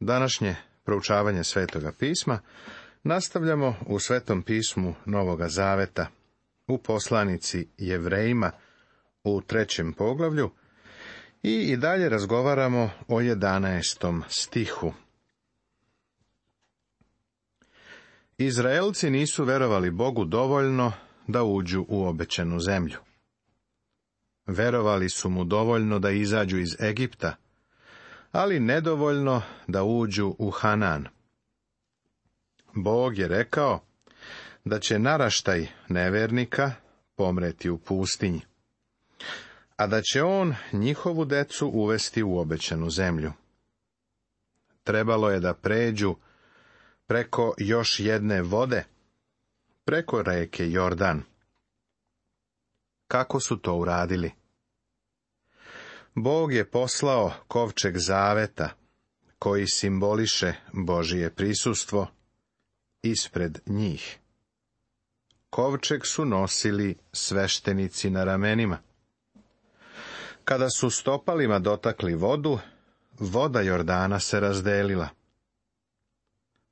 Današnje proučavanje Svetoga pisma nastavljamo u Svetom pismu Novoga Zaveta, u poslanici Jevrejima u 3. poglavlju i dalje razgovaramo o 11. stihu. Izraelci nisu verovali Bogu dovoljno da uđu u obećanu zemlju. Verovali su mu dovoljno da izađu iz Egipta, ali nedovoljno da uđu u Hanan. Bog je rekao da će naraštaj nevernika pomreti u pustinji, a da će on njihovu decu uvesti u obećanu zemlju. Trebalo je da pređu preko još jedne vode, preko reke Jordan. Kako su to uradili? Bog je poslao kovčeg zaveta, koji simboliše Božije prisustvo, ispred njih. Kovčeg su nosili sveštenici na ramenima. Kada su stopalima dotakli vodu, voda Jordana se razdelila.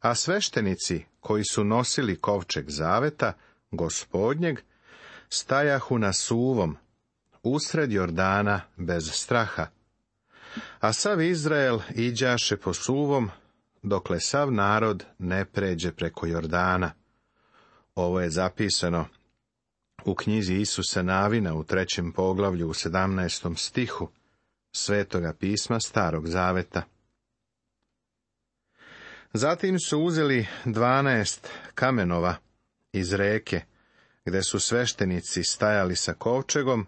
A sveštenici koji su nosili kovčeg zaveta, Gospodnjeg, stajahu na suvom, usred Jordana bez straha, a sav Izrael iđaše po suvom, dokle sav narod ne pređe preko Jordana. Ovo je zapisano u knjizi Isusa Navina u 3. poglavlju u 17. stihu Svetoga pisma Starog Zaveta. Zatim su uzeli 12 kamenova iz reke, gde su sveštenici stajali sa kovčegom,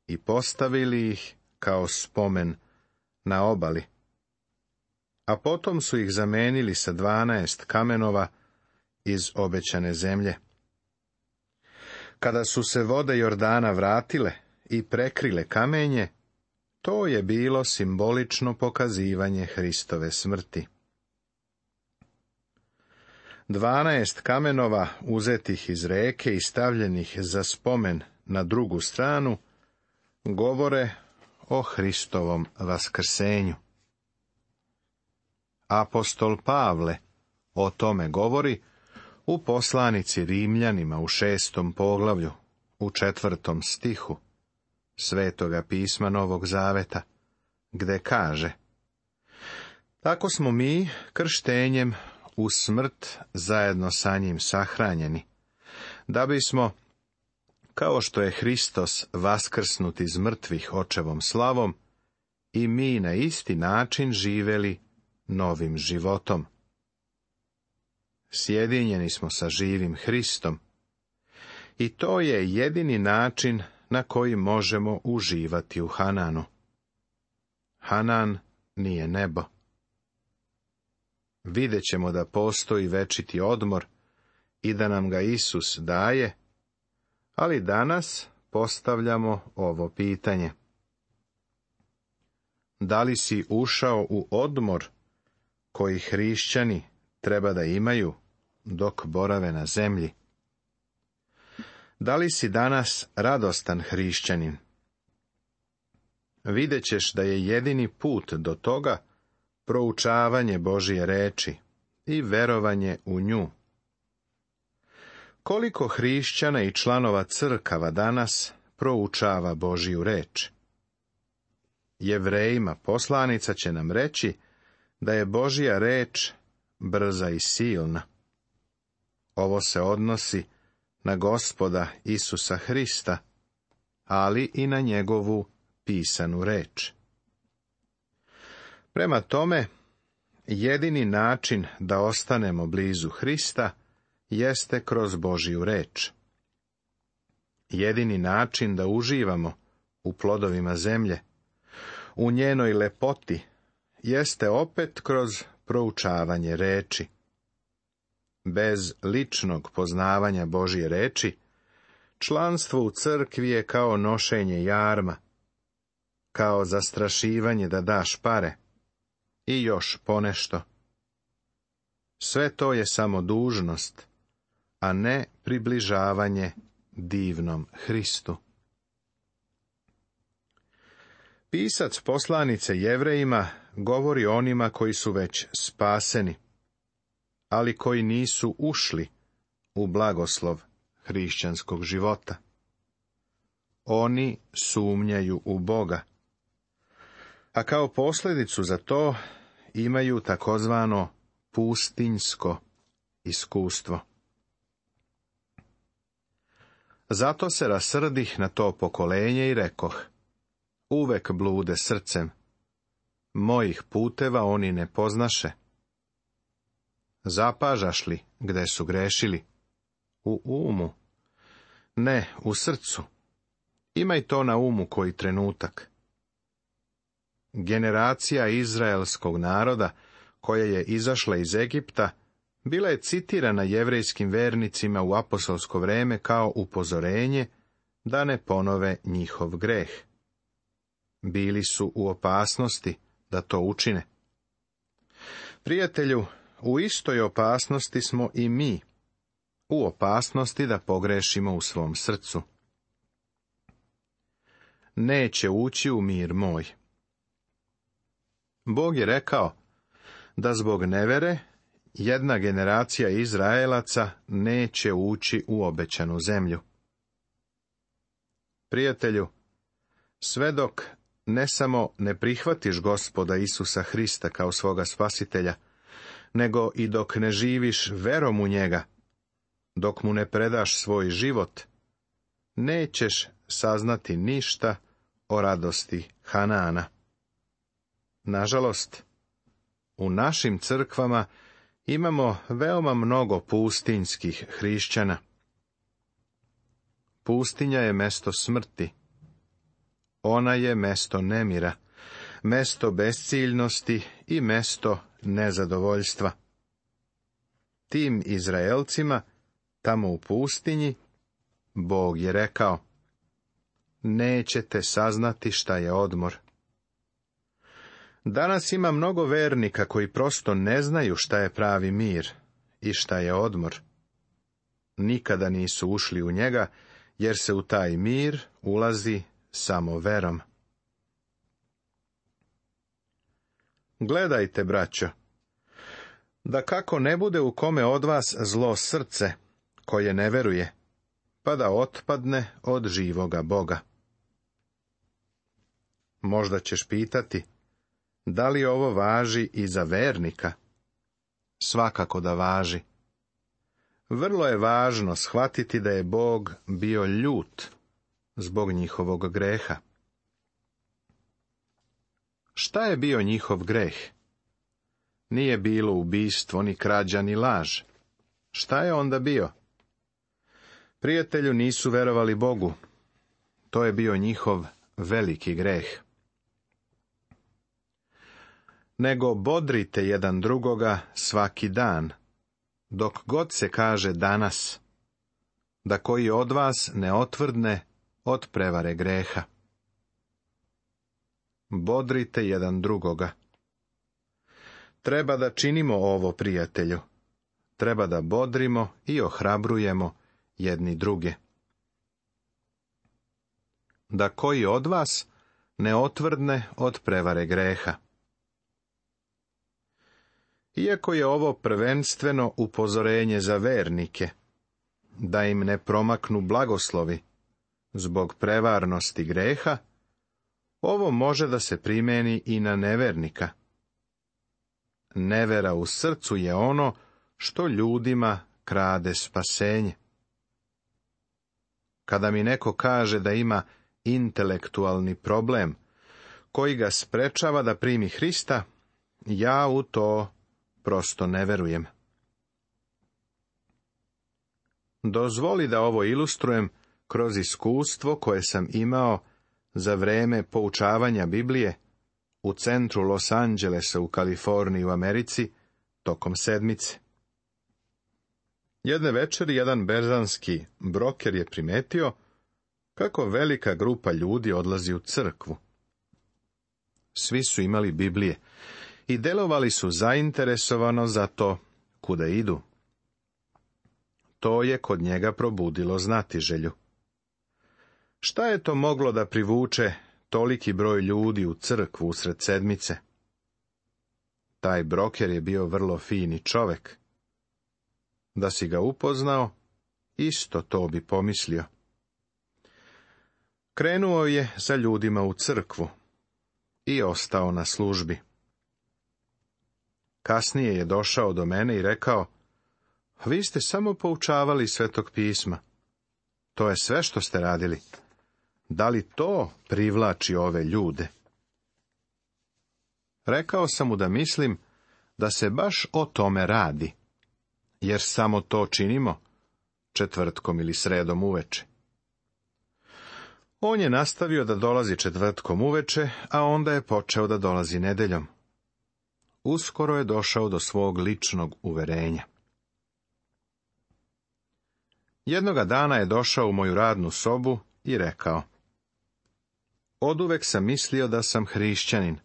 i postavili ih kao spomen na obali. A potom su ih zamenili sa 12 kamenova iz obećane zemlje. Kada su se vode Jordana vratile i prekrile kamenje, to je bilo simbolično pokazivanje Hristove smrti. 12 kamenova uzetih iz reke i stavljenih za spomen na drugu stranu govore o Hristovom vaskrsenju. Apostol Pavle o tome govori u poslanici Rimljanima u 6. poglavlju, u 4. stihu Svetoga pisma Novog Zaveta, gde kaže: Tako smo mi krštenjem u smrt zajedno sa njim sahranjeni, da bismo, kao što je Hristos vaskrsnut iz mrtvih očevom slavom, i mi na isti način živeli novim životom. Sjedinjeni smo sa živim Hristom, i to je jedini način na koji možemo uživati u Hananu. Hanan nije nebo. Vidjet ćemo da postoji večiti odmor i da nam ga Isus daje, ali danas postavljamo ovo pitanje. Da li si ušao u odmor koji hrišćani treba da imaju dok borave na zemlji? Da li si danas radostan hrišćanin? Vidjet ćeš da je jedini put do toga proučavanje Božije reči i verovanje u nju. Koliko hrišćana i članova crkava danas proučava Božiju reč? Jevrejima poslanica će nam reći da je Božja reč brza i silna. Ovo se odnosi na Gospoda Isusa Hrista, ali i na njegovu pisanu reč. Prema tome, jedini način da ostanemo blizu Hrista jeste kroz Božju reč. Jedini način da uživamo u plodovima zemlje, u njenoj lepoti, jeste opet kroz proučavanje reči. Bez ličnog poznavanja Božje reči, članstvo u crkvi je kao nošenje jarma, kao zastrašivanje da daš pare i još ponešto. Sve to je samo dužnost, a ne približavanje divnom Hristu. Pisac poslanice Jevrejima govori o onima koji su već spaseni, ali koji nisu ušli u blagoslov hrišćanskog života. Oni sumnjaju u Boga, a kao posljedicu za to imaju takozvano pustinjsko iskustvo. Zato se rasrdih na to pokolenje i rekoh: uvek blude srcem, mojih puteva oni ne poznaše. Zapažaš li gde su grešili? U umu? Ne, u srcu. Imaj to na umu koji trenutak. Generacija izraelskog naroda, koja je izašla iz Egipta, bila je citirana jevrejskim vernicima u apostolsko vreme kao upozorenje da ne ponove njihov greh. Bili su u opasnosti da to učine. Prijatelju, u istoj opasnosti smo i mi, u opasnosti da pogrešimo u svom srcu. Neće ući u mir moj. Bog je rekao da zbog nevere jedna generacija Izraelaca neće ući u obećanu zemlju. Prijatelju, sve dok ne samo ne prihvatiš Gospoda Isusa Hrista kao svoga spasitelja, nego i dok ne živiš verom u njega, dok mu ne predaš svoj život, nećeš saznati ništa o radosti Hanaana. Nažalost, u našim crkvama imamo veoma mnogo pustinjskih hrišćana. Pustinja je mesto smrti. Ona je mesto nemira, mesto besciljnosti i mesto nezadovoljstva. Tim Izraelcima, tamo u pustinji, Bog je rekao: nećete saznati šta je odmor. Danas ima mnogo vernika koji prosto ne znaju šta je pravi mir i šta je odmor. Nikada nisu ušli u njega, jer se u taj mir ulazi samo verom. Gledajte, braćo, da kako ne bude u kome od vas zlo srce, koje ne veruje, pa da otpadne od živoga Boga. Možda ćeš pitati, da li ovo važi i za vernika? Svakako da važi. Vrlo je važno shvatiti da je Bog bio ljut zbog njihovog greha. Šta je bio njihov greh? Nije bilo ubistvo, ni krađa, ni laž. Šta je onda bio? Prijatelju, nisu verovali Bogu. To je bio njihov veliki greh. Nego bodrite jedan drugoga svaki dan, dok god se kaže danas, da koji od vas ne otvrdne od prevare greha. Bodrite jedan drugoga. Treba da činimo ovo, prijatelju. Treba da bodrimo i ohrabrujemo jedni druge. Da koji od vas ne otvrdne od prevare greha. Iako je ovo prvenstveno upozorenje za vernike, da im ne promaknu blagoslovi zbog prevarnosti greha, ovo može da se primeni i na nevernika. Nevera u srcu je ono što ljudima krade spasenje. Kada mi neko kaže da ima intelektualni problem koji ga sprečava da primi Hrista, ja u to prosto ne verujem. Dozvoli da ovo ilustrujem kroz iskustvo koje sam imao za vreme poučavanja Biblije u centru Los Angelesa u Kaliforniji u Americi tokom sedmice. Jedne večeri jedan berzanski broker je primetio kako velika grupa ljudi odlazi u crkvu. Svi su imali Biblije i delovali su zainteresovano za to kuda idu. To je kod njega probudilo znatiželju. Šta je to moglo da privuče toliki broj ljudi u crkvu usred sedmice. Taj broker je bio vrlo fini čovek. Da si ga upoznao, isto to bi pomislio. Krenuo je za ljudima u crkvu i ostao na službi. Kasnije je došao do mene i rekao: vi ste samo poučavali Svetog pisma. To je sve što ste radili. Da li to privlači ove ljude? Rekao sam mu da mislim da se baš o tome radi, jer samo to činimo četvrtkom ili sredom uveče. On je nastavio da dolazi četvrtkom uveče, a onda je počeo da dolazi nedeljom. Uskoro je došao do svog ličnog uverenja. Jednoga dana je došao u moju radnu sobu i rekao: oduvek sam mislio da sam hrišćanin.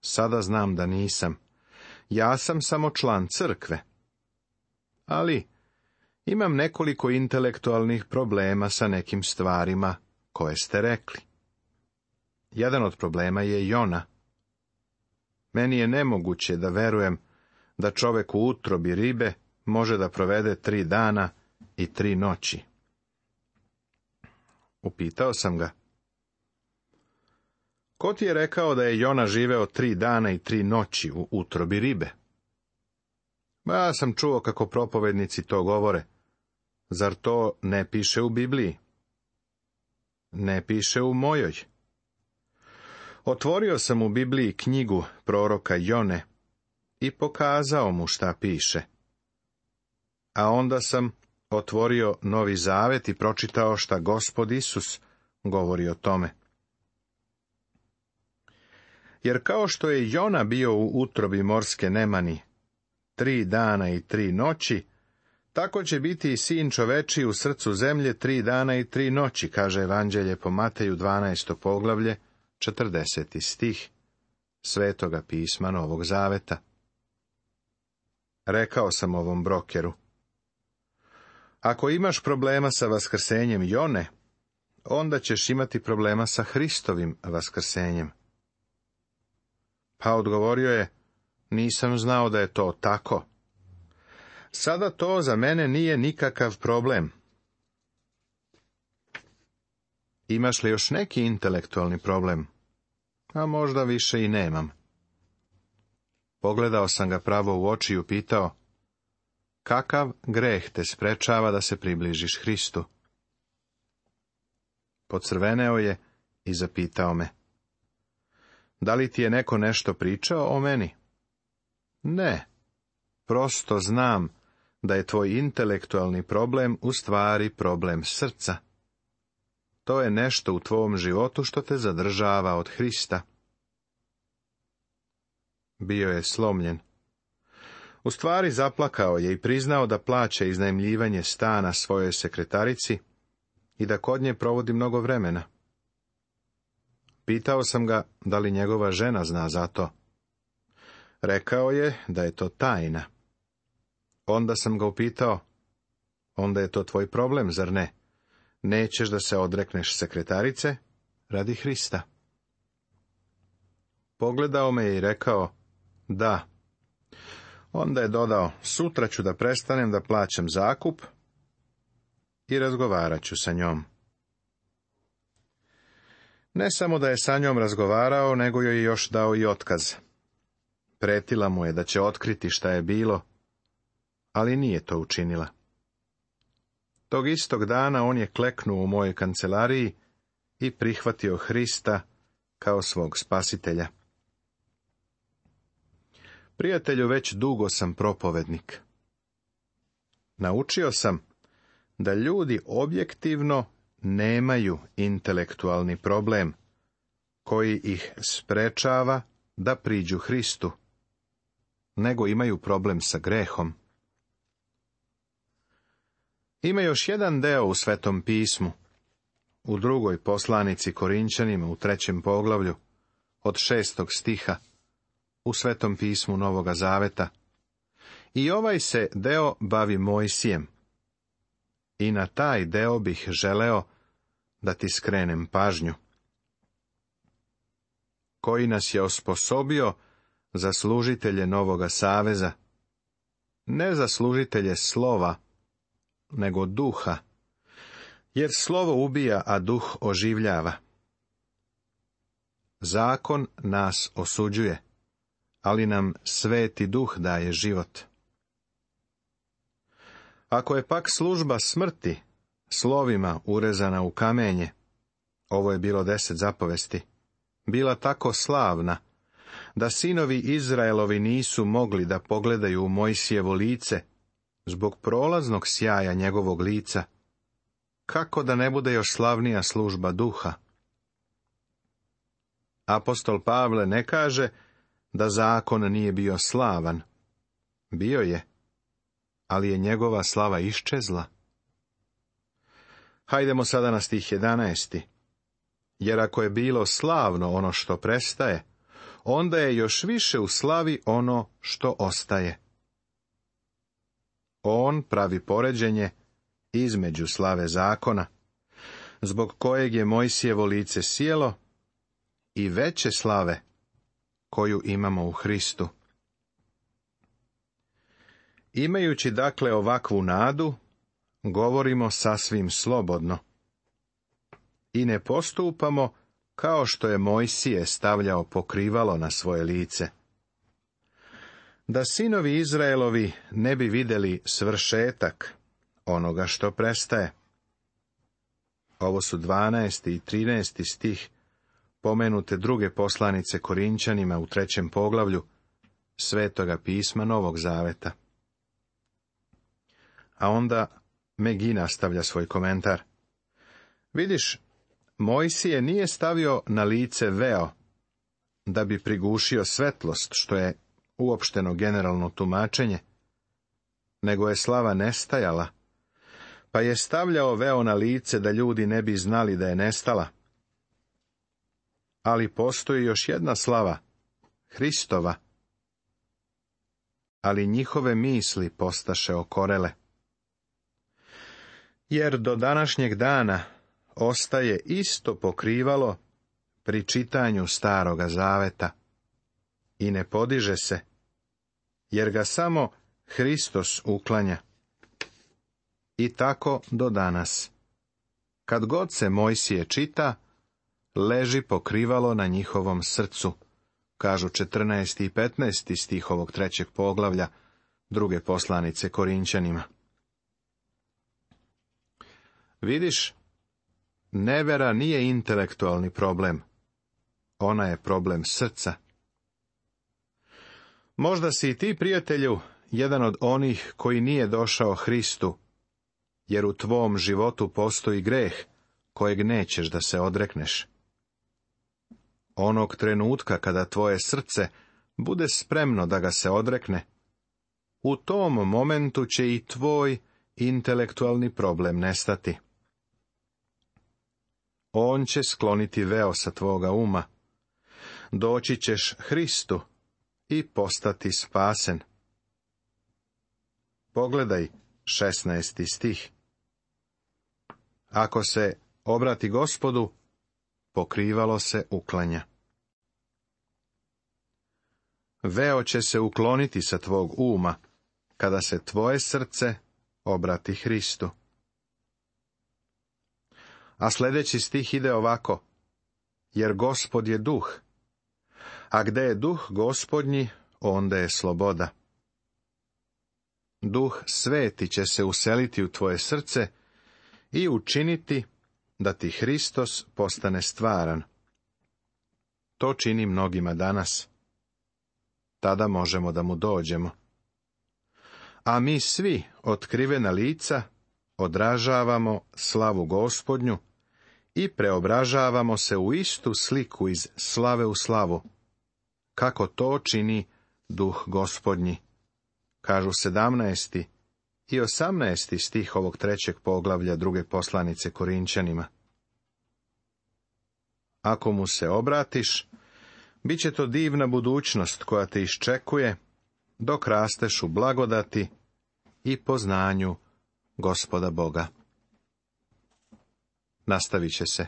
Sada znam da nisam. Ja sam samo član crkve. Ali imam nekoliko intelektualnih problema sa nekim stvarima koje ste rekli. Jedan od problema je Jona. Meni je nemoguće da verujem da čovek u utrobi ribe može da provede 3 dana i 3 noći. Upitao sam ga: ko ti je rekao da je Jona živeo 3 dana i 3 noći u utrobi ribe? Ja sam čuo kako propovednici to govore. Zar to ne piše u Bibliji? Ne piše u mojoj. Otvorio sam u Bibliji knjigu proroka Jone i pokazao mu šta piše. A onda sam otvorio Novi Zavet i pročitao šta Gospod Isus govori o tome. Jer kao što je Jona bio u utrobi morske nemani 3 dana i 3 noći, tako će biti i sin čovečiji u srcu zemlje 3 dana i 3 noći, kaže Evanđelje po Mateju 12. poglavlje, 40. stih Svetoga pisma Novog Zaveta. Rekao sam ovom brokeru: ako imaš problema sa vaskrsenjem Jone, onda ćeš imati problema sa Hristovim vaskrsenjem. Pa odgovorio je: nisam znao da je to tako. Sada to za mene nije nikakav problem. Imaš li još neki intelektualni problem? A možda više i nemam. Pogledao sam ga pravo u oči i upitao: kakav greh te sprečava da se približiš Hristu? Pocrveneo je i zapitao me: da li ti je neko nešto pričao o meni? Ne, prosto znam da je tvoj intelektualni problem u stvari problem srca. To je nešto u tvom životu što te zadržava od Hrista. Bio je slomljen. U stvari zaplakao je i priznao da plaća iznajmljivanje stana svojoj sekretarici i da kod nje provodi mnogo vremena. Pitao sam ga da li njegova žena zna za to. Rekao je da je to tajna. Onda sam ga upitao: onda je to tvoj problem, zar ne? Nećeš da se odrekneš sekretarice radi Hrista? Pogledao me je i rekao: da. Onda je dodao: sutra ću da prestanem da plaćam zakup i razgovarat ću sa njom. Ne samo da je sa njom razgovarao, nego joj je još dao i otkaz. Pretila mu je da će otkriti šta je bilo, ali nije to učinila. Tog istog dana on je kleknuo u mojoj kancelariji i prihvatio Hrista kao svog spasitelja. Prijatelju, već dugo sam propovednik. Naučio sam da ljudi objektivno nemaju intelektualni problem koji ih sprečava da priđu Hristu, nego imaju problem sa grehom. Ima još jedan deo u Svetom pismu, u 2. poslanici Korinćanima u 3. poglavlju, od 6. stiha, u Svetom pismu Novoga Zaveta. I ovaj se deo bavi Mojsijem. I na taj deo bih želeo da ti skrenem pažnju. koji nas je osposobio za služitelje Novoga saveza, ne za služitelje slova, nego duha, jer slovo ubija, a duh oživljava. Zakon nas osuđuje, ali nam Sveti Duh daje život. Ako je pak služba smrti slovima urezana u kamenje, ovo je bilo 10 zapovesti, bila tako slavna, da sinovi Izraelovi nisu mogli da pogledaju u Mojsijevo lice, zbog prolaznog sjaja njegovog lica, kako da ne bude još slavnija služba duha? Apostol Pavle ne kaže da zakon nije bio slavan. Bio je, ali je njegova slava iščezla. Hajdemo sada na stih 11. Jer ako je bilo slavno ono što prestaje, onda je još više u slavi ono što ostaje. On pravi poređenje između slave zakona, zbog kojeg je Mojsijevo lice sjelo, i veće slave koju imamo u Hristu. Imajući dakle ovakvu nadu, govorimo sasvim slobodno i ne postupamo kao što je Mojsije stavljao pokrivalo na svoje lice, da sinovi Izraelovi ne bi vidjeli svršetak onoga što prestaje. Ovo su 12. i 13. stih pomenute druge poslanice Korinčanima u 3. poglavlju Svetoga pisma Novog zaveta. A onda Megi nastavlja svoj komentar. Vidiš, Mojsije nije stavio na lice veo, da bi prigušio svetlost, što je uopšteno generalno tumačenje, nego je slava nestajala, pa je stavljao veo na lice da ljudi ne bi znali da je nestala. Ali postoji još jedna slava, Hristova. Ali njihove misli postaše okorele. Jer do današnjeg dana ostaje isto pokrivalo pri čitanju Staroga zaveta i ne podiže se, jer ga samo Hristos uklanja. I tako do danas. Kad god se Mojsije čita, leži pokrivalo na njihovom srcu, kažu 14. i 15. stih ovog 3. poglavlja druge poslanice Korinčanima. Vidiš, nevera nije intelektualni problem, ona je problem srca. Možda si i ti, prijatelju, jedan od onih koji nije došao Hristu, jer u tvom životu postoji greh kojeg nećeš da se odrekneš. Onog trenutka kada tvoje srce bude spremno da ga se odrekne, u tom momentu će i tvoj intelektualni problem nestati. On će skloniti veo sa tvoga uma. Doći ćeš Hristu i postati spasen. Pogledaj 16. stih. Ako se obrati Gospodu, pokrivalo se uklanja. Veo će se ukloniti sa tvog uma, kada se tvoje srce obrati Hristu. A sljedeći stih ide ovako. Jer Gospod je duh, a gde je duh Gospodnji, onda je sloboda. Duh Sveti će se useliti u tvoje srce i učiniti da ti Hristos postane stvaran. To čini mnogima danas. Tada možemo da mu dođemo. A mi svi, otkrivena lica, odražavamo slavu Gospodnju i preobražavamo se u istu sliku iz slave u slavu, kako to čini duh Gospodnji, kažu 17. i 18. stih ovog 3. poglavlja druge poslanice Korinčanima. Ako mu se obratiš, bit će to divna budućnost koja te iščekuje, dok rasteš u blagodati i poznanju Gospoda Boga. Nastavit će se.